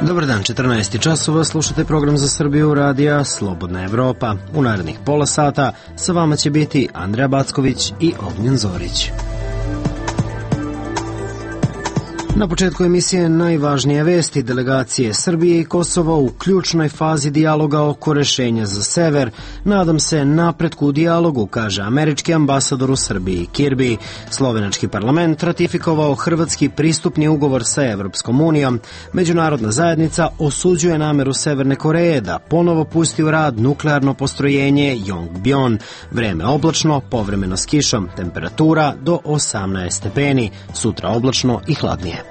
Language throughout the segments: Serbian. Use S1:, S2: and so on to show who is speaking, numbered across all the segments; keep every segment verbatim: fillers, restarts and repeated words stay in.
S1: Dobar dan, četrnaest časova, slušate program za Srbiju radija Slobodna Evropa. U narednih pola sata sa vama će biti Andreja Backović i Ognjen Zorić. Na početku emisije najvažnije vesti. Delegacije Srbije i Kosova u ključnoj fazi dijaloga oko rešenja za sever. Nadam se napretku u dijalogu, kaže američki ambasador u Srbiji Kirby. Slovenački parlament ratifikovao hrvatski pristupni ugovor sa Evropskom unijom. Međunarodna zajednica osuđuje nameru Severne Koreje da ponovo pusti u rad nuklearno postrojenje Yongbyon. Vreme oblačno, povremeno s kišom, temperatura do osamnaest stepeni. Sutra oblačno i hladnije.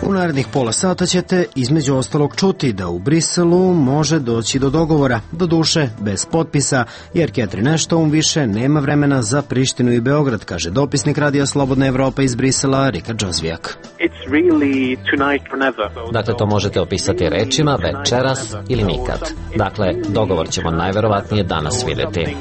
S1: U narednih pola sata ćete između ostalog čuti da u Briselu može doći do dogovora, doduše bez potpisa, jer Catherine Ashton više nema vremena za Prištinu i Beograd, kaže dopisnik Radija Slobodna Evropa iz Brisela Rika Džozvijak.
S2: Dakle, to možete opisati rečima večeras ili nikad. Dakle, dogovor ćemo najverovatnije danas vidjeti.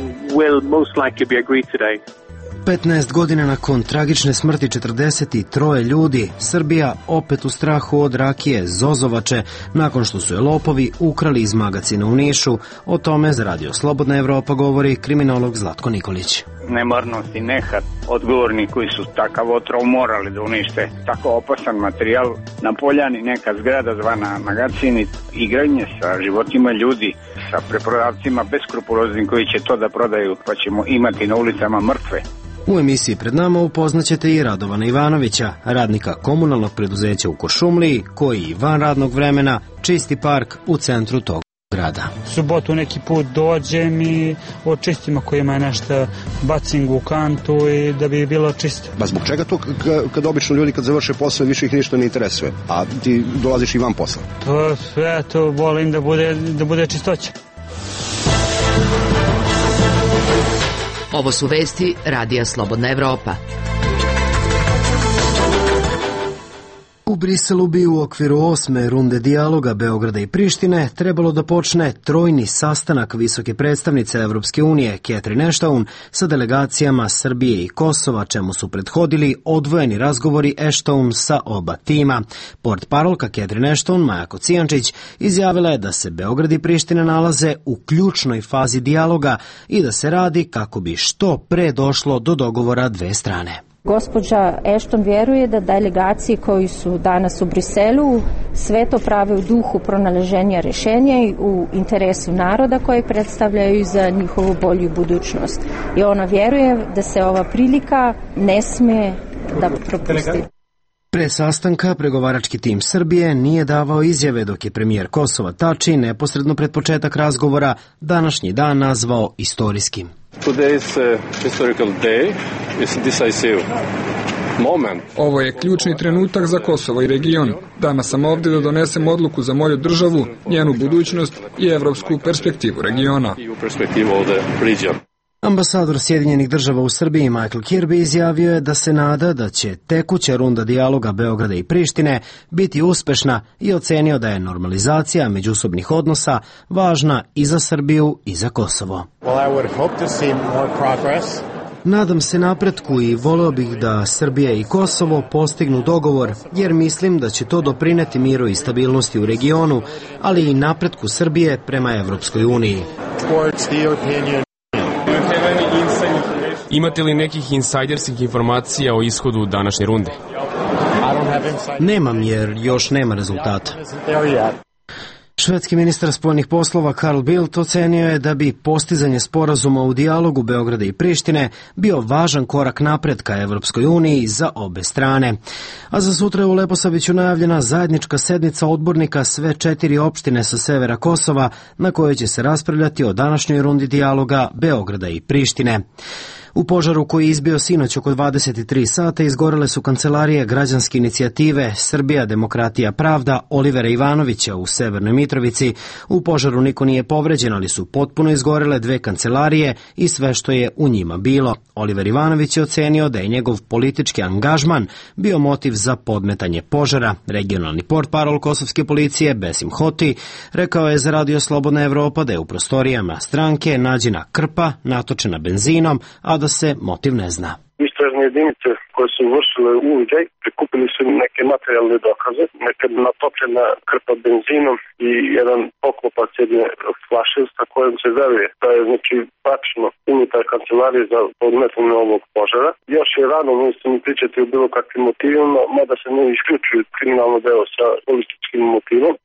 S1: petnaest godina nakon tragične smrti četrdeset troje ljudi, Srbija opet u strahu od rakije Zozovače, nakon što su je lopovi ukrali iz magacina u Nišu. O tome za Radio Slobodna Evropa govori kriminolog Zlatko Nikolić.
S3: Nemarnost i nehat odgovorni koji su takav otrov morali da unište tako opasan materijal na poljani, neka zgrada zvana magacin, igranje sa životima ljudi, sa preprodavcima beskrupuloznim koji će to da prodaju, pa ćemo imati na ulicama mrtve.
S1: U emisiji pred nama upoznaćete i Radovana Ivanovića, radnika komunalnog preduzeća u Kuršumliji, koji van radnog vremena čisti park u centru tog grada.
S4: Subotu neki put dođem i očistim ako ima nešto bacim u kantu i da bi bilo čisto.
S5: Ba zbog čega to kad obično ljudi kad završe posao više ih ništa ne interesuje, a ti dolaziš i van posla?
S4: To sve to volim da bude, da bude čistoća.
S6: Ovo su vesti Radija Slobodna Evropa.
S1: U Briselu bi u okviru osme runde dijaloga Beograda i Prištine trebalo da počne trojni sastanak visoke predstavnice Evropske unije Catherine Ashton sa delegacijama Srbije i Kosova, čemu su prethodili odvojeni razgovori Ashton sa oba tima. Portparolka Catherine Ashton, Maja Kocijančić, izjavila je da se Beograd i Priština nalaze u ključnoj fazi dijaloga i da se radi kako bi što pre došlo do dogovora dve strane.
S7: Gospođa Ashton vjeruje da delegacije koji su danas u Briselu sve to prave u duhu pronalaženja rješenja i u interesu naroda koje predstavljaju za njihovu bolju budućnost. I ona vjeruje da se ova prilika ne smije da propusti.
S1: Pre sastanka pregovarački tim Srbije nije davao izjave, dok je premijer Kosova Tači neposredno pred početak razgovora današnji dan nazvao istorijskim.
S8: Today's historical day is decisive moment.
S9: Ovo je ključni trenutak za Kosovo i region. Danas sam ovdje da donesem odluku za moju državu, njenu budućnost i evropsku perspektivu regiona.
S1: Ambasador Sjedinjenih država u Srbiji Michael Kirby izjavio je da se nada da će tekuća runda dijaloga Beograda i Prištine biti uspešna i ocenio da je normalizacija međusobnih odnosa važna i za Srbiju i za Kosovo. Nadam se napretku i voleo bih da Srbija i Kosovo postignu dogovor, jer mislim da će to doprineti miru i stabilnosti u regionu, ali i napretku Srbije prema Evropskoj uniji.
S10: Imate li nekih insajderskih informacija o ishodu današnje runde?
S1: Nemam, jer još nema rezultata. Švedski ministar spoljnih poslova Carl Bildt ocenio je da bi postizanje sporazuma u dijalogu Beograda i Prištine bio važan korak napred ka Evropskoj uniji za obe strane. A za sutra je u Leposaviću najavljena zajednička sednica odbornika sve četiri opštine sa severa Kosova, na kojoj će se raspravljati o današnjoj rundi dijaloga Beograda i Prištine. U požaru koji je izbio sinoć oko dvadeset tri sata izgorele su kancelarije građanske inicijative Srbija, demokratija, pravda Olivera Ivanovića u Severnoj Mitrovici. U požaru niko nije povređen, ali su potpuno izgorele dve kancelarije i sve što je u njima bilo. Oliver Ivanović je ocenio da je njegov politički angažman bio motiv za podmetanje požara. Regionalni portparol kosovske policije Besim Hoti rekao je za Radio Slobodna Evropa da je u prostorijama stranke nađena krpa natočena benzinom, a da se motiv ne zna.
S3: Isto
S11: istražne jedinice koje su vršile uviđaj prikupili su neke materijalne dokaze, neka natopljena krpa benzinom i jedan poklopac jedne flaše sa kojom se veruje da je znači tačno unutar kancelarije za podmetanje ovog požara. Još je rano mislim pričati o bilo kakvim motivima, mada se ne isključuju kriminalno delo sa političkim motivom.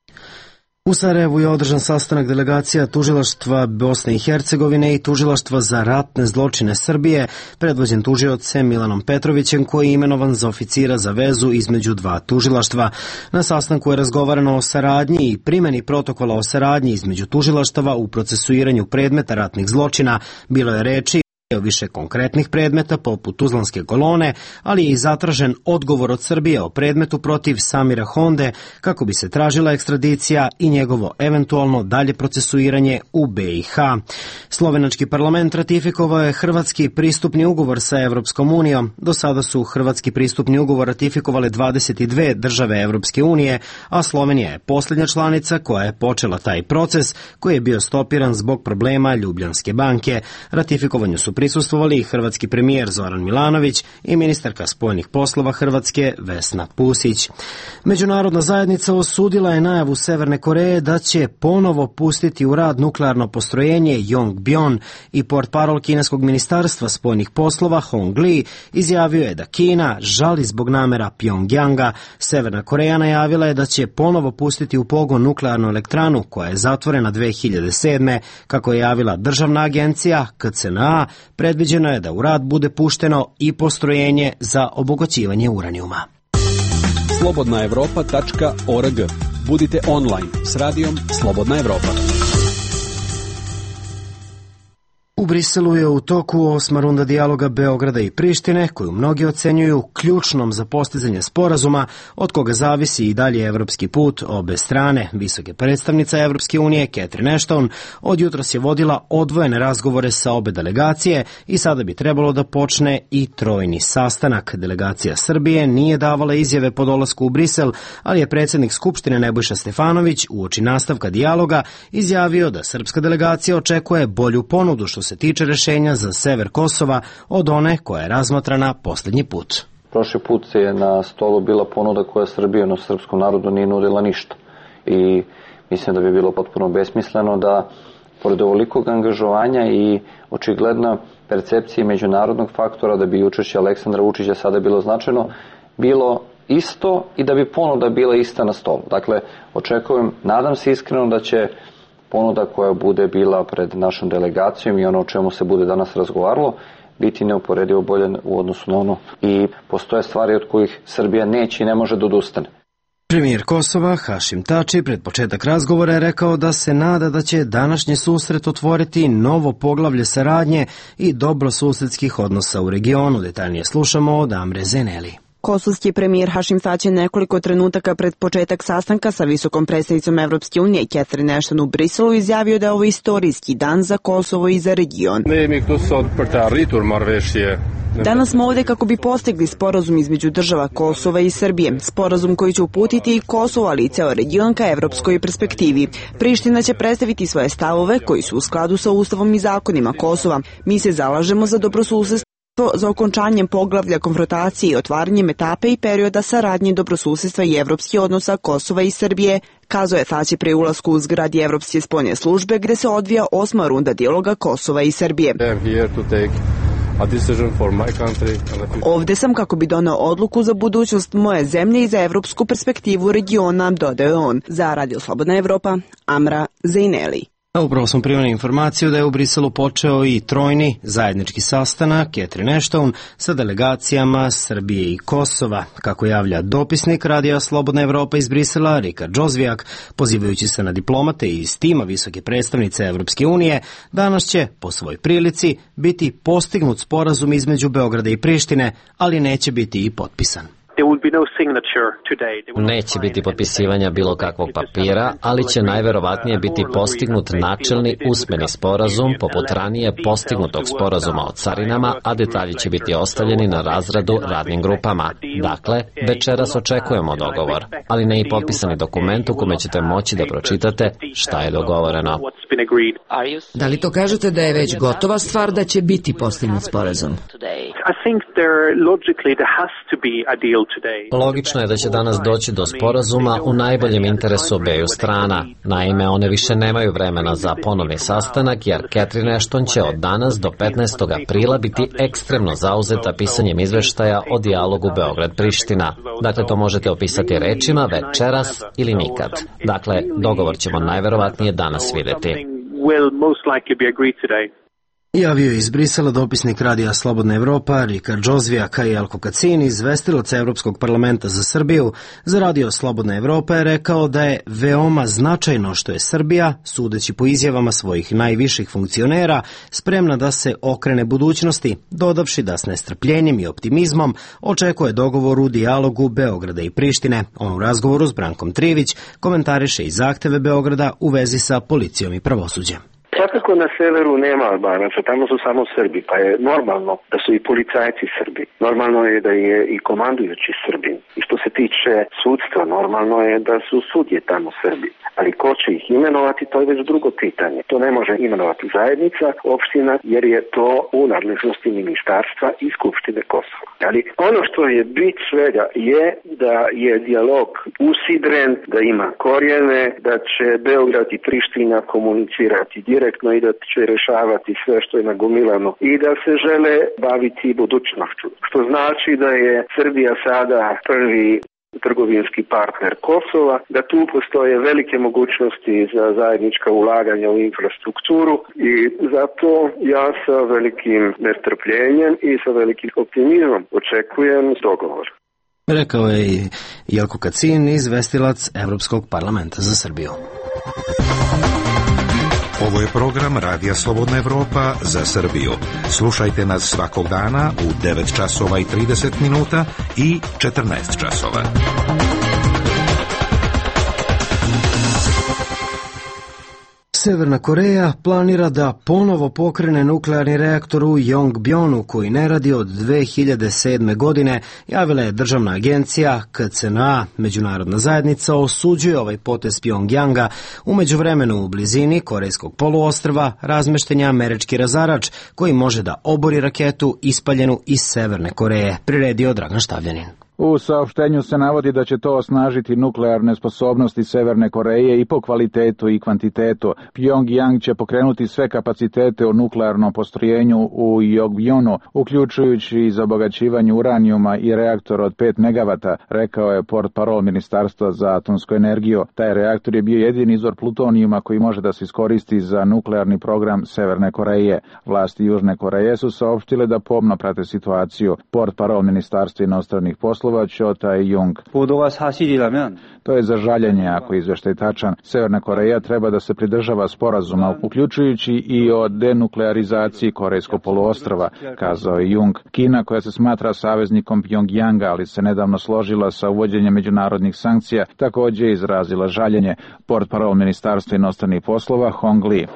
S1: U Sarajevu je održan sastanak delegacija Tužilaštva Bosne i Hercegovine i Tužilaštva za ratne zločine Srbije, predvođen tužiocem Milanom Petrovićem, koji je imenovan za oficira za vezu između dva tužilaštva. Na sastanku je razgovarano o saradnji i primjeni protokola o saradnji između tužilaštava u procesuiranju predmeta ratnih zločina. Bilo je reči o više konkretnih predmeta poput Tuzlanske kolone, ali je i zatražen odgovor od Srbije o predmetu protiv Samira Honde kako bi se tražila ekstradicija i njegovo eventualno dalje procesuiranje u B i H. Slovenački parlament ratifikovao je hrvatski pristupni ugovor sa Evropskom unijom. Do sada su hrvatski pristupni ugovor ratifikovale dvadeset dve države Evropske unije, a Slovenija je posljednja članica koja je počela taj proces koji je bio stopiran zbog problema Ljubljanske banke. Ratifikovanju su prisustvovali i hrvatski premijer Zoran Milanović i ministarka spoljnih poslova Hrvatske Vesna Pusić. Međunarodna zajednica osudila je najavu Severne Koreje da će ponovo pustiti u rad nuklearno postrojenje Yongbyon i portparol kineskog ministarstva spoljnih poslova Hong Li izjavio je da Kina žali zbog namera Pjongjanga. Severna Koreja najavila je da će ponovo pustiti u pogon nuklearnu elektranu koja je zatvorena dve hiljade sedme. Kako je javila državna agencija K C N A, predviđeno je da u rad bude pušteno i postrojenje za obogaćivanje uranijuma.
S12: slobodna evropa tačka org. Budite online s radijom Slobodna Evropa.
S1: U Briselu je u toku osma runda dijaloga Beograda i Prištine, koju mnogi ocenjuju ključnom za postizanje sporazuma, od koga zavisi i dalje evropski put obe strane. Visoke predstavnica Evropske unije, Catherine Ashton, od jutros je vodila odvojene razgovore sa obe delegacije i sada bi trebalo da počne i trojni sastanak. Delegacija Srbije nije davala izjave po dolasku u Brisel, ali je predsjednik Skupštine Nebojša Stefanović uoči nastavka dijaloga izjavio da srpska delegacija očekuje bolju ponudu što se tiče rešenja za sever Kosova od one koja je razmatrana posljednji put.
S13: Prošli put je na stolu bila ponuda koja Srbija na srpskom narodu nije nudila ništa. I mislim da bi bilo potpuno besmisleno da, pored ovolikog angažovanja i očigledna percepcije međunarodnog faktora da bi učešće Aleksandra Vučića sada bilo značajno, bilo isto i da bi ponuda bila ista na stolu. Dakle, očekujem, nadam se iskreno da će ponuda koja bude bila pred našom delegacijom i ono o čemu se bude danas razgovaralo biti neuporedivo bolje u odnosu na ono i postoje stvari od kojih Srbija neće i ne može da odustane.
S1: Premijer Kosova Hašim Tači pred početak razgovora je rekao da se nada da će današnji susret otvoriti novo poglavlje saradnje i dobrosusedskih odnosa u regionu. Detaljnije slušamo od Amre Zeneli.
S14: Kosovski premijer Hašim Tači nekoliko trenutaka pred početak sastanka sa visokom predstavnicom Evropske unije Catherine Ashton u Briselu izjavio da je ovo istorijski dan za Kosovo i za region. Danas smo ovdje kako bi postigli sporazum između država Kosova i Srbije. Sporazum koji će uputiti i Kosovo, ali i ceo region ka evropskoj perspektivi. Priština će predstaviti svoje stavove koji su u skladu sa Ustavom i zakonima Kosova. Mi se zalažemo za dobrosusedstvo, za okončanjem poglavlja konfrontacije i otvaranjem etape i perioda saradnje dobrosusedstva i evropskih odnosa Kosova i Srbije, kazao je Tači pri ulasku u zgradi Evropske spoljne službe gde se odvija osma runda dijaloga Kosova i Srbije. Ovde sam kako bi doneo odluku za budućnost moje zemlje i za evropsku perspektivu regiona, dodao je on. Za Radio Slobodna Evropa, Amra Zejneli.
S1: A upravo smo primili informaciju da je u Briselu počeo i trojni zajednički sastanak Catherine Ashton sa delegacijama Srbije i Kosova. Kako javlja dopisnik Radija Slobodna Evropa iz Brisela, Rika Džozvijak, pozivajući se na diplomate iz tima visoke predstavnice Evropske unije, danas će, po svoj prilici, biti postignut sporazum između Beograda i Prištine, ali neće biti i potpisan.
S2: Neće biti potpisivanja bilo kakvog papira, ali će najverovatnije biti postignut načelni usmeni sporazum poput ranije postignutog sporazuma o carinama, a detalji će biti ostavljeni na razradu radnim grupama. Dakle, večeras očekujemo dogovor, ali ne i potpisani dokument u kome ćete moći da pročitate šta je dogovoreno.
S6: Da li to kažete da je već gotova stvar da će biti postignut sporazum?
S2: Logično je da će danas doći do sporazuma u najboljem interesu obeju strana. Naime, one više nemaju vremena za ponovni sastanak, jer Catherine Ashton će od danas do petnaestog aprila biti ekstremno zauzeta pisanjem izveštaja o dijalogu Beograd-Priština. Dakle, to možete opisati rečima večeras ili nikad. Dakle, dogovor ćemo najverovatnije danas videti.
S1: Javio je iz Brisela dopisnik Radija Slobodna Evropa Rika Džozvijaka i Jelko Kacin, izvestilac Evropskog parlamenta za Srbiju. Za Radio Slobodna Evropa je rekao da je veoma značajno što je Srbija, sudeći po izjavama svojih najviših funkcionera, spremna da se okrene budućnosti, dodavši da s nestrpljenjem i optimizmom očekuje dogovor u dijalogu Beograda i Prištine. On u razgovoru s Brankom Trivić komentariše i zahteve Beograda u vezi sa policijom i pravosuđem.
S15: Svakako na severu nema Albanaca, tamo su samo Srbi, pa je normalno da su i policajci Srbi. Normalno je da je i komandujući Srbi. I što se tiče sudstva, normalno je da su sudje tamo Srbi. Ali ko će ih imenovati, to je već drugo pitanje. To ne može imenovati zajednica, opština, jer je to u nadležnosti ministarstva i Skupštine Kosova. Ali ono što je bit svega je da je dijalog usidren, da ima korijene, da će Beograd i Priština komunicirati direktno i da će rešavati sve što je nagomilano i da se žele baviti budućnošću. Što znači da je Srbija sada prvi trgovinski partner Kosova, da tu postoje velike mogućnosti za zajednička ulaganja u infrastrukturu i zato ja sa velikim nestrpljenjem i sa velikim optimizmom očekujem dogovor.
S1: Rekao je i Jelko Kacin, izvestilac Evropskog parlamenta za Srbiju.
S16: Ovo je program Radija Slobodna Evropa za Srbiju. Slušajte nas svakog dana u devet časova i trideset minuta i četrnaest časova.
S1: Severna Koreja planira da ponovo pokrene nuklearni reaktor u Yongbyon koji ne radi od dve hiljade sedme. godine, javila je državna agencija K C N A. Međunarodna zajednica osuđuje ovaj potez Pjongjanga. U međuvremenu u blizini Korejskog poluostrva razmešten je američki razarač koji može da obori raketu ispaljenu iz Severne Koreje, priredio Dragan Štavljanin.
S17: U saopštenju se navodi da će to osnažiti nuklearne sposobnosti Severne Koreje i po kvalitetu i kvantitetu. Pjongjang će pokrenuti sve kapacitete u nuklearnom postrojenju u Yongbyon, uključujući i za obogaćivanje uranijuma i reaktor od pet megavata, rekao je portparol Ministarstva za atomsku energiju. Taj reaktor je bio jedini izvor plutonijuma koji može da se iskoristi za nuklearni program Severne Koreje. Vlasti Južne Koreje su saopštile da pomno prate situaciju. Portparol Ministarstva inostranih poslova Cho Tae-jung. To je za žaljenje ako je izveštaj tačan. Severna Koreja treba da se pridržava sporazuma, uključujući i o denuklearizaciji Korejskog poluostrva, kazao je Jung. Kina, koja se smatra saveznikom Pjongjanga, ali se nedavno složila sa uvođenjem međunarodnih sankcija, također je izrazila žaljenje. Portparol Ministarstva inostranih poslova Hong Li.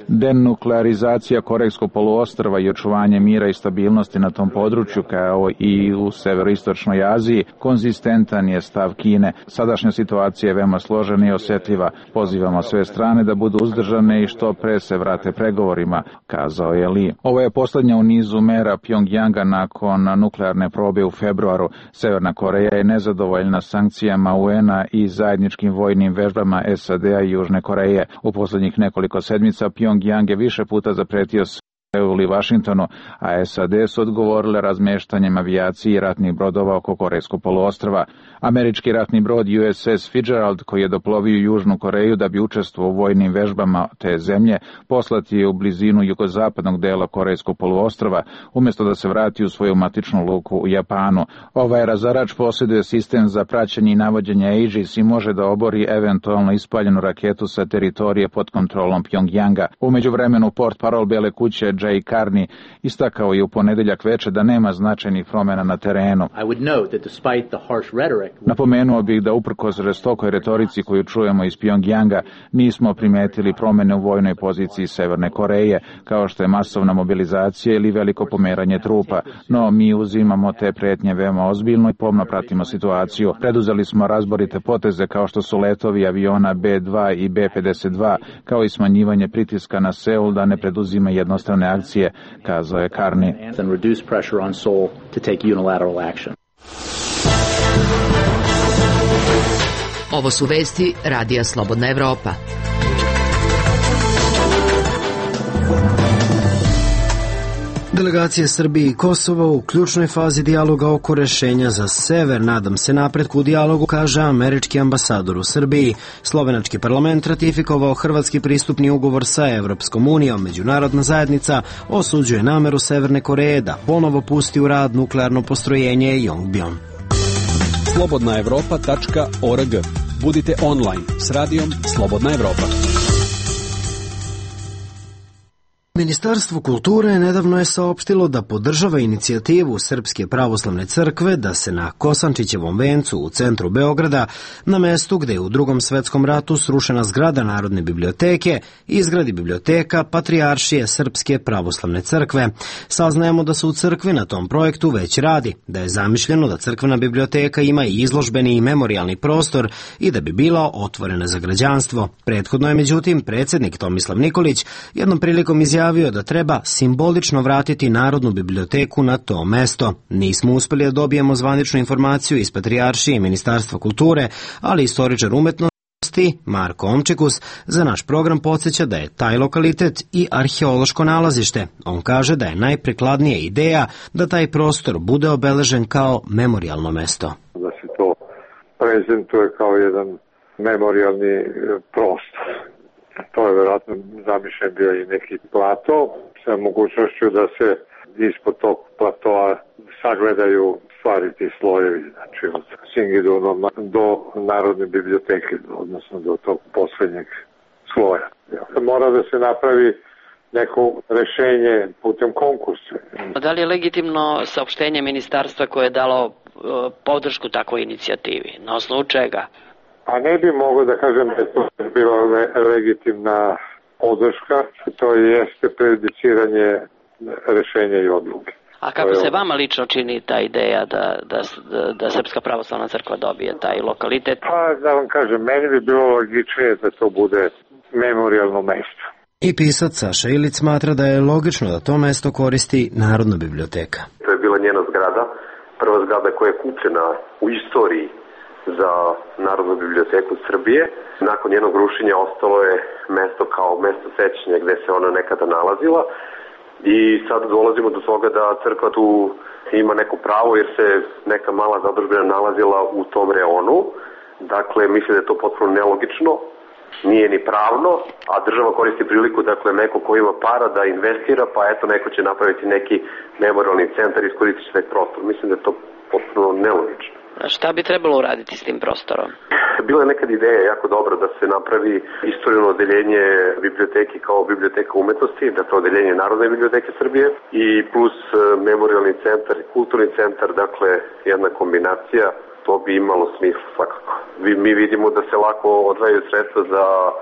S17: Denuklearizacija Korejskog poluostrva i očuvanje mira i stabilnosti na tom području, kao i u severoistočnoj Aziji, konzistentan je stav Kine. Sadašnja situacija je veoma složena i osjetljiva. Pozivamo sve strane da budu uzdržane i što pre se vrate pregovorima, kazao je Li. Ovo je posljednja u nizu mera Pjongjanga nakon nuklearne probe u februaru. Severna Koreja je nezadovoljna sankcijama U N A i zajedničkim vojnim vežbama S A D-a i Južne Koreje. U posljednjih nekoliko sedmica Pjongjang je više puta zapretio Seulu i Vašingtonu, a S A D su odgovorile razmeštanjem avijacije i ratnih brodova oko Korejskog poluostrva. Američki ratni brod U S S Fitzgerald, koji je doplovio Južnu Koreju da bi učestvovao u vojnim vežbama te zemlje, poslat je u blizinu jugozapadnog dela Korejskog poluostrva, umjesto da se vrati u svoju matičnu luku u Japanu. Ovaj razarač posjeduje sistem za praćenje i navođenje Aegis i može da obori eventualno ispaljenu raketu sa teritorije pod kontrolom Pjongjanga. U međuvremenu portparol Bele kuće Jay Carney istakao je u ponedeljak veče da nema značajnih promjena na terenu. Napomenuo bih da uprkos žestokoj retorici koju čujemo iz Pjongjanga nismo primetili promjene u vojnoj poziciji Severne Koreje, kao što je masovna mobilizacija ili veliko pomeranje trupa, no mi uzimamo te pretnje veoma ozbiljno i pomno pratimo situaciju. Preduzeli smo razborite poteze kao što su letovi aviona B dva i B pedeset dva, kao i smanjivanje pritiska na Seul da ne preduzima jednostrane akcije, kazao je Carney.
S6: Ovo su vesti Radija Slobodna Evropa.
S1: Delegacije Srbije i Kosova u ključnoj fazi dijaloga oko rešenja za sever. Nadam se napretku u dijalogu, kaže američki ambasador u Srbiji. Slovenački parlament ratifikovao hrvatski pristupni ugovor sa Evropskom unijom. Međunarodna zajednica osuđuje nameru Severne Koreje da ponovo pusti u rad nuklearno postrojenje Yongbyon.
S12: slobodna evropa tačka org. Budite online s radijom Slobodna Evropa.
S1: Ministarstvo kulture nedavno je saopštilo da podržava inicijativu Srpske pravoslavne crkve da se na Kosančićevom vencu u centru Beograda, na mestu gde je u Drugom svetskom ratu srušena zgrada Narodne biblioteke, izgradi biblioteka Patrijaršije Srpske pravoslavne crkve. Saznajemo da se u crkvi na tom projektu već radi, da je zamišljeno da crkvena biblioteka ima i izložbeni i memorijalni prostor i da bi bila otvorena za građanstvo. Prethodno je međutim predsjednik Tomislav Nikolić jednom prilikom izjavio da treba simbolično vratiti Narodnu biblioteku na to mesto. Nismo uspeli da dobijemo zvaničnu informaciju iz Patrijaršije i Ministarstva kulture, ali istoričar umetnosti Marko Omčekus za naš program podsjeća da je taj lokalitet i arheološko nalazište. On kaže da je najprikladnija ideja da taj prostor bude obeležen kao memorijalno mesto.
S18: Da se to prezentuje kao jedan memorijalni prostor. To je vjerojatno zamišljen bio i neki plato sa mogućnošću da se ispod tog platoa sagledaju stvari ti slojevi, znači od Singidunoma do Narodne biblioteke, odnosno do tog posljednjeg sloja. Mora da se napravi neko rešenje putem konkursa.
S19: Da li je legitimno saopštenje ministarstva koje je dalo podršku takvoj inicijativi? Na osnovu čega?
S18: A ne bi mogo da kažem da je to bila legitimna podrška, to jeste prejudiciranje rešenja i odluke.
S19: A kako se vama lično čini ta ideja da, da, da Srpska pravoslavna crkva dobije taj lokalitet?
S18: Pa da vam kažem, meni bi bilo logičnije da to bude memorijalno mesto.
S1: I pisac Saša Ilić smatra da je logično da to mesto koristi Narodna biblioteka.
S20: To je bila njena zgrada, prva zgrada koja je kupljena u istoriji za Narodnu biblioteku Srbije. Nakon njenog rušenja ostalo je mesto kao mesto sećanja gde se ona nekada nalazila i sad dolazimo do toga da crkva tu ima neko pravo jer se neka mala zadužbina nalazila u tom reonu. Dakle, mislim da je to potpuno nelogično, nije ni pravno, a država koristi priliku, dakle, neko ko ima para da investira, pa eto, neko će napraviti neki memorialni centar i iskoristiti će taj prostor. Mislim da je to potpuno nelogično.
S19: Šta bi trebalo uraditi s tim prostorom?
S20: Bila je nekad ideja jako dobra da se napravi istorijno odeljenje biblioteke kao biblioteka umetnosti, dakle odeljenje Narodne biblioteke Srbije i plus memorialni centar i kulturni centar, dakle jedna kombinacija, to bi imalo smisla svakako. Mi vidimo da se lako odvajaju sredstva za uh,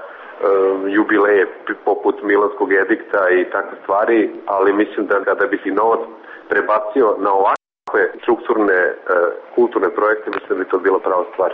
S20: jubileje poput Milanskog edikta i takve stvari, ali mislim da kada bi si novac prebacio na ovakve strukturne kulturne projekte, mislim da bi to bila prava stvar.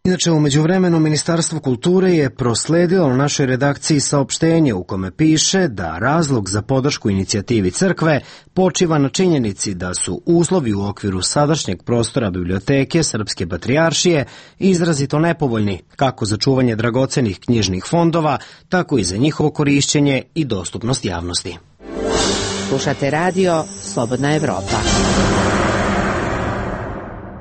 S1: Inače, u međuvremenu Ministarstvo kulture je prosledilo na našoj redakciji saopštenje u kome piše da razlog za podršku inicijativi crkve počiva na činjenici da su uslovi u okviru sadašnjeg prostora biblioteke Srpske patrijaršije izrazito nepovoljni, kako za čuvanje dragocenih knjižnih fondova, tako i za njihovo korišćenje i dostupnost javnosti.
S6: Slušate radio Slobodna Evropa.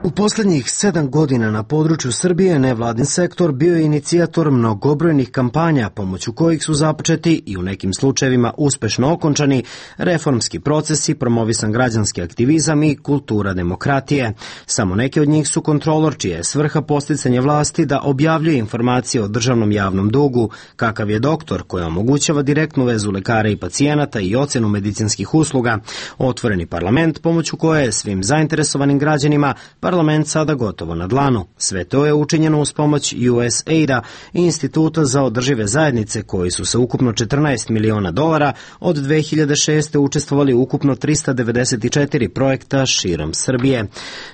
S1: U posljednjih sedam godina na području Srbije nevladin sektor bio je inicijator mnogobrojnih kampanja pomoću kojih su započeti i u nekim slučajevima uspešno okončani reformski procesi, promovisan građanski aktivizam i kultura demokratije. Samo neke od njih su kontrolor, čija je svrha posticanje vlasti da objavljuje informacije o državnom javnom dugu, kakav je doktor, koja omogućava direktnu vezu lekara i pacijenata i ocenu medicinskih usluga, otvoreni parlament pomoću koje je svim zainteresovanim građanima parlament sada gotovo na dlanu. Sve to je učinjeno uz pomoć U S A I D-a i Instituta za održive zajednice, koji su sa ukupno četrnaest miliona dolara od dve hiljade šeste. učestvovali u ukupno trista devedeset četiri projekta širom Srbije.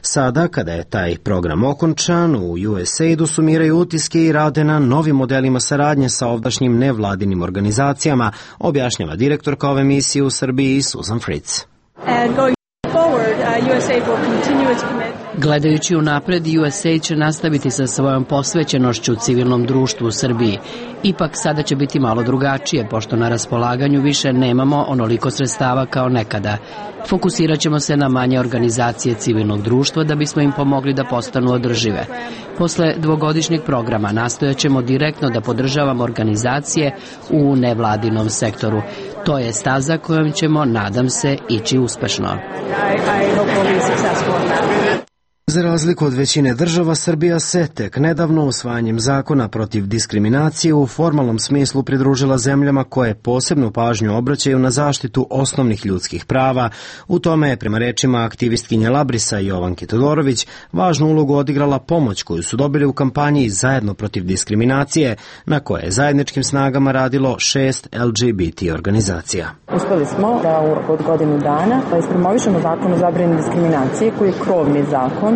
S1: Sada, kada je taj program okončan, u U S A I D-u sumiraju utiske i rade na novim modelima saradnje sa ovdašnjim nevladinim organizacijama, objašnjava direktorka ove misije u Srbiji Susan Fritz.
S21: Gledajući unapred, U S A I D će nastaviti sa svojom posvećenošću civilnom društvu u Srbiji. Ipak sada će biti malo drugačije, pošto na raspolaganju više nemamo onoliko sredstava kao nekada. Fokusirat ćemo se na manje organizacije civilnog društva da bismo im pomogli da postanu održive. Posle dvogodišnjeg programa nastojat ćemo direktno da podržavamo organizacije u nevladinom sektoru. To je staza kojom ćemo, nadam se, ići uspešno.
S1: Za razliku od većine država, Srbija se tek nedavno usvajanjem zakona protiv diskriminacije u formalnom smislu pridružila zemljama koje posebnu pažnju obraćaju na zaštitu osnovnih ljudskih prava. U tome je, prema rečima aktivistkinje Labrisa Jovanke Todorović, važnu ulogu odigrala pomoć koju su dobili u kampanji Zajedno protiv diskriminacije, na koje je zajedničkim snagama radilo šest L G B T organizacija.
S22: Uspeli smo da u roku od godinu dana ispromovišemo zakon o zabrani diskriminacije, koji je krovni zakon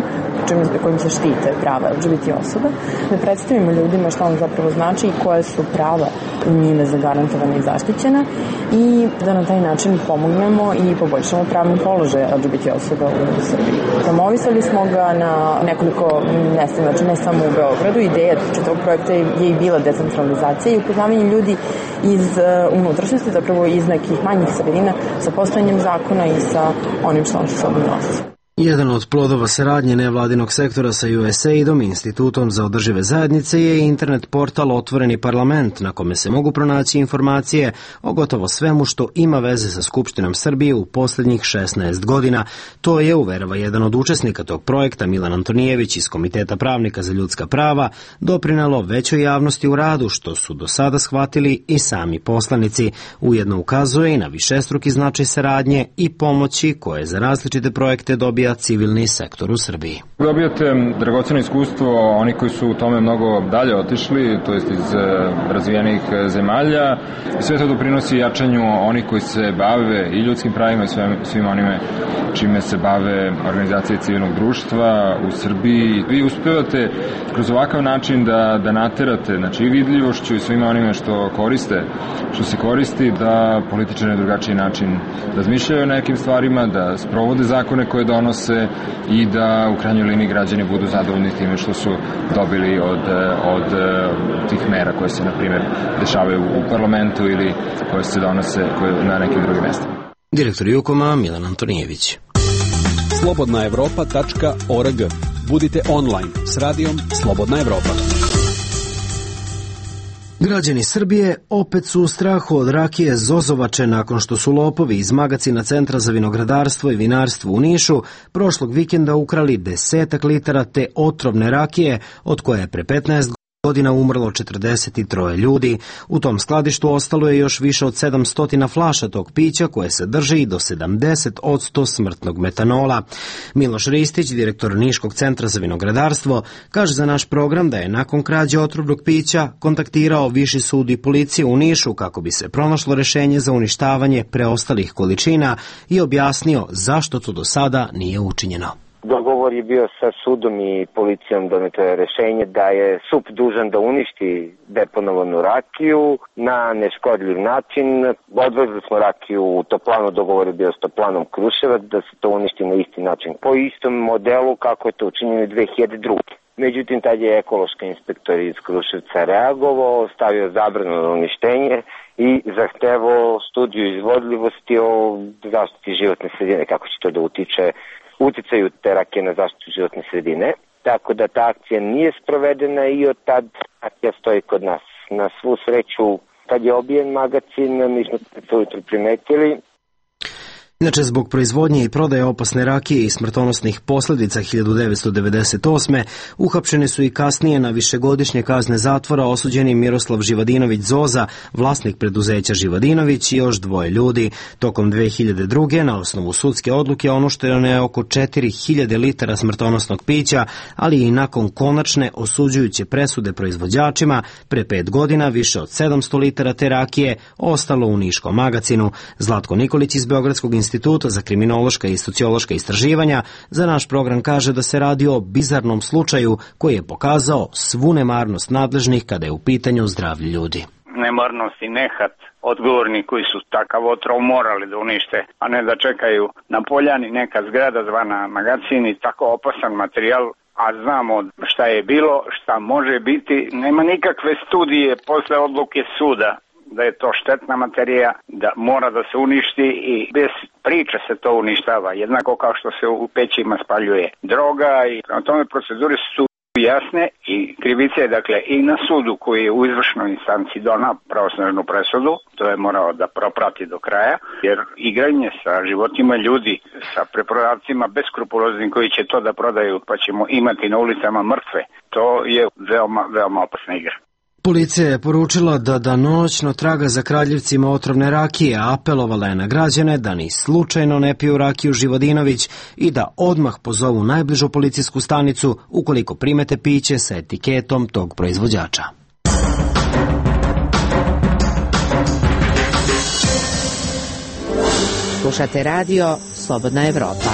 S22: kojim se štite prava L G B T osoba, da predstavimo ljudima šta on zapravo znači i koje su prava njime zagarantovane i zaštićena, i da na taj način pomognemo i poboljšamo pravni položaj L G B T osoba u Srbiji. Promovisali smo ga na nekoliko mjesta, znači ne samo u Beogradu. Ideja čitavog projekta je i bila decentralizacija i upoznavanje ljudi iz unutrašnjosti, zapravo iz nekih manjih sredina, sa postojanjem zakona i sa onim što on sa sobom nosi.
S1: Jedan od plodova saradnje nevladinog sektora sa U S A I D-om i Institutom za održive zajednice je internet portal Otvoreni parlament, na kome se mogu pronaći informacije o gotovo svemu što ima veze sa Skupštinom Srbije u posljednjih šesnaest godina. To je, uverava jedan od učesnika tog projekta, Milan Antonijević iz Komiteta pravnika za ljudska prava, doprinelo većoj javnosti u radu, što su do sada shvatili i sami poslanici. Ujedno ukazuje i na višestruki značaj saradnje i pomoći koje za različite projekte dobija civilni sektor u Srbiji.
S23: Dobijate dragoceno iskustvo oni koji su u tome mnogo dalje otišli, to jest iz razvijenih zemalja, i sve to doprinosi jačanju onih koji se bave i ljudskim pravima i svim onime čime se bave organizacije civilnog društva u Srbiji. Vi uspevate kroz ovakav način da, da naterate, znači i vidljivošću i svima onime što koriste, što se koristi, da političari na drugačiji način razmišljaju o nekim stvarima, da sprovode zakone koje donose i da u krajnjoj liniji građani budu zadovoljni time što su dobili od, od tih mera koje se, na primjer, dešavaju u parlamentu ili koje se donose koje na nekim drugim mestima.
S1: Direktor Jukoma Milan Antonijević.
S12: slobodna evropa tačka org. Budite online s radijom Slobodna Evropa.
S1: Građani Srbije opet su u strahu od rakije Zozovače nakon što su lopovi iz magacina Centra za vinogradarstvo i vinarstvo u Nišu prošlog vikenda ukrali desetak litara te otrovne rakije, od koje je pre petnaest godina umrlo četrdeset tri ljudi. U tom skladištu ostalo je još više od sedamsto flaša tog pića, koje se drži i do sedamdeset posto smrtnog metanola. Miloš Ristić, direktor Niškog centra za vinogradarstvo, kaže za naš program da je nakon krađe otrovnog pića kontaktirao Viši sud i policiju u Nišu kako bi se pronašlo rešenje za uništavanje preostalih količina i objasnio zašto to do sada nije učinjeno.
S24: Dogovor je bio sa sudom i policijom, doneto je rešenje da je S U P dužan da uništi deponovanu rakiju na neškodljiv način. Odvezli smo rakiju u toplanu, dogovor je bio s toplanom Kruševac da se to uništi na isti način, po istom modelu kako je to učinjeno dve hiljade druge. Međutim, tad je ekološki inspektor iz Kruševca reagovao, stavio zabranu na uništenje i zahtevao studiju izvodljivosti o zaštiti životne sredine, kako će to da utiče uticaju te rakije na zaštitu životne sredine. Tako da ta akcija nije sprovedena i od tad akcija stoji kod nas. Na svu sreću, kad je obijen magacin, mi smo to jutro primetili.
S1: Inače, zbog proizvodnje i prodaje opasne rakije i smrtonosnih posljedica hiljadu devetsto devedeset osme uhapšeni su i kasnije na višegodišnje kazne zatvora osuđeni Miroslav Živadinović Zoza, vlasnik preduzeća Živadinović i još dvoje ljudi. Tokom dve hiljade druge. na osnovu sudske odluke onušteno je oko četiri hiljade litara smrtonosnog pića, ali i nakon konačne osuđujuće presude proizvođačima, pre pet godina više od sedamsto litara te rakije ostalo u Niškom magacinu. Zlatko Nikolić iz Beogradskog instituta za kriminološka i sociološka istraživanja za naš program kaže da se radi o bizarnom slučaju koji je pokazao svu nemarnost nadležnih kada je u pitanju zdravlje ljudi.
S3: Nemarnost i nehat odgovorni koji su takav otrov morali da unište, a ne da čekaju na poljani neka zgrada zvana magacin i tako opasan materijal, a znamo šta je bilo, šta može biti. Nema nikakve studije posle odluke suda da je to štetna materija, da mora da se uništi i bez priče se to uništava, jednako kao što se u pećima spaljuje droga i na tome procedure su jasne i krivica je dakle i na sudu koji je u izvršnoj instanci donao pravosnažnu presudu, to je morao da proprati do kraja, jer igranje sa životima ljudi, sa preprodavcima beskrupuloznim koji će to da prodaju pa ćemo imati na ulicama mrtve, to je veoma, veoma opasna igra.
S1: Policija je poručila da danonoćno traga za kradljivcima otrovne rakije, a apelovala je na građane da ni slučajno ne piju rakiju Živadinović i da odmah pozovu najbližu policijsku stanicu ukoliko primete piće sa etiketom tog proizvođača.
S6: Slušate radio Slobodna Evropa.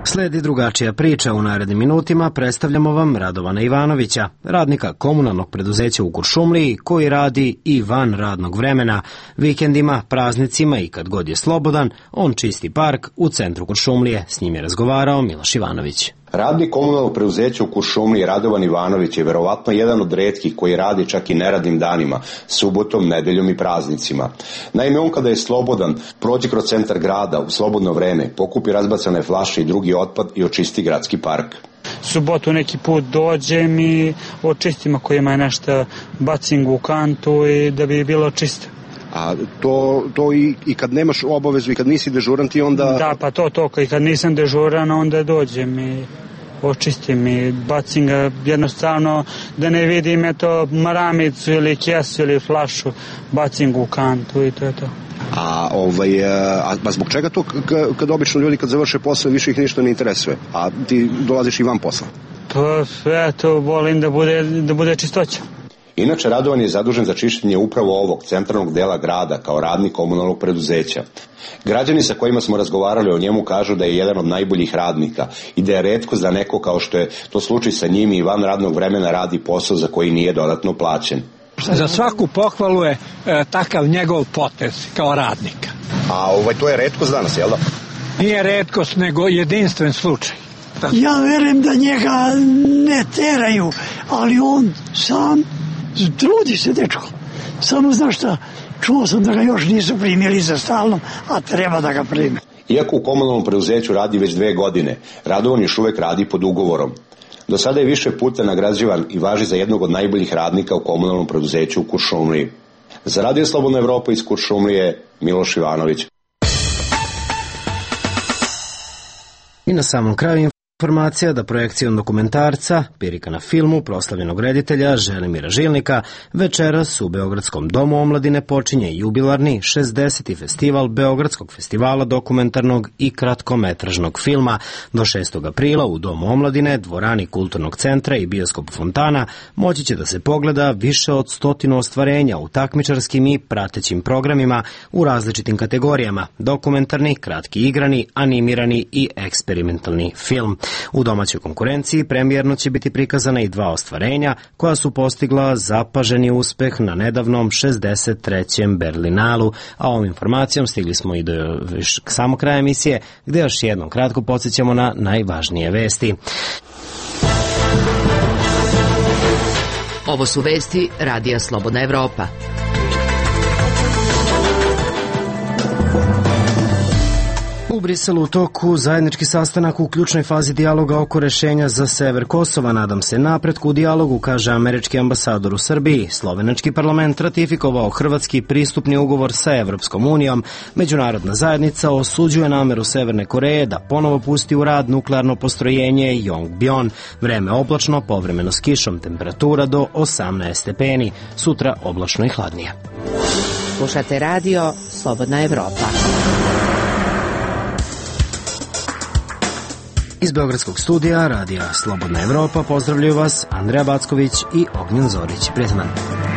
S1: Sledi drugačija priča. U narednim minutima predstavljamo vam Radovana Ivanovića, radnika komunalnog preduzeća u Kuršumliji koji radi i van radnog vremena. Vikendima, praznicima i kad god je slobodan, on čisti park u centru Kuršumlije. S njim je razgovarao Miloš Ivanović.
S4: Radnik komunalnog preduzeća u Kuršumliji Radovan Ivanović je verovatno jedan od retkih koji radi čak i neradnim danima, subotom, nedeljom i praznicima. Naime, on kada je slobodan, prođe kroz centar grada u slobodno vreme, pokupi razbacane flaše i drugi otpad i očisti gradski park.
S5: Subotu neki put dođem i očistim ako ima nešto bacim u kantu i da bi bilo čisto.
S7: A to, to i, i kad nemaš obavezu i kad nisi dežuran ti onda...
S5: Da, pa to, to, i kad nisam dežuran onda dođem i očistim i bacim ga jednostavno da ne vidim eto maramicu ili kesu ili flašu, bacim ga u kantu i to je to.
S7: A, ovaj, a, a zbog čega to kad obično ljudi kad završe posao više ih ništa ne interesuje, a ti dolaziš i van posla?
S5: Pa eto, volim da bude, da bude čistoća.
S4: Inače, Radovan je zadužen za čišćenje upravo ovog centralnog dela grada kao radnik komunalnog preduzeća. Građani sa kojima smo razgovarali o njemu kažu da je jedan od najboljih radnika i da je retko za neko kao što je to slučaj sa njim i van radnog vremena radi posao za koji nije dodatno plaćen.
S8: Za svaku pohvalu je e, takav njegov potez kao radnika.
S7: A ovaj, to je retkost danas, jel da?
S8: Nije retkost, nego jedinstven slučaj.
S25: Ja verujem da njega ne teraju, ali on sam trudi se, dečko. Samo znaš šta, čuo sam da ga još nisu primili za stalno, a treba da ga prime.
S4: Iako u komunalnom preduzeću radi već dve godine, Radovan još uvek radi pod ugovorom. Do sada je više puta nagrađivan i važi za jednog od najboljih radnika u komunalnom preduzeću u Kuršumliji. Za Radio Slobodna Evropa iz Kuršumlije, Miloš Ivanović.
S1: I na samom kraju informacija da projekcijom dokumentarca Pirika na filmu proslavljenog reditelja Želimira Žilnika večeras u Beogradskom domu omladine počinje jubilarni šezdeseti festival Beogradskog festivala dokumentarnog i kratkometražnog filma. Do šestog aprila u Domu omladine, dvorani Kulturnog centra i bioskop Fontana moći će da se pogleda više od stotinu ostvarenja u takmičarskim i pratećim programima u različitim kategorijama: dokumentarni, kratki igrani, animirani i eksperimentalni film. U domaćoj konkurenciji premijerno će biti prikazana i dva ostvarenja koja su postigla zapaženi uspeh na nedavnom šezdeset trećem Berlinalu, a ovom informacijom stigli smo i do samog kraja emisije, gde još jednom kratko podsjećamo na najvažnije vesti.
S6: Ovo su vesti Radija Slobodna Evropa.
S1: U Briselu u toku zajednički sastanak u ključnoj fazi dijaloga oko rešenja za sever Kosova. Nadam se napretku u dijalogu, kaže američki ambasador u Srbiji. Slovenački parlament ratifikovao hrvatski pristupni ugovor sa Evropskom unijom. Međunarodna zajednica osuđuje nameru Severne Koreje da ponovo pusti u rad nuklearno postrojenje Yongbyon. Vreme oblačno, povremeno s kišom, temperatura do osamnaest stepeni. Sutra oblačno i hladnije.
S9: Slušate radio Slobodna Evropa.
S1: Iz Beogradskog studija radija Slobodna Evropa pozdravljaju vas Andreja Backović i Ognjen Zorić. Prijatan dan.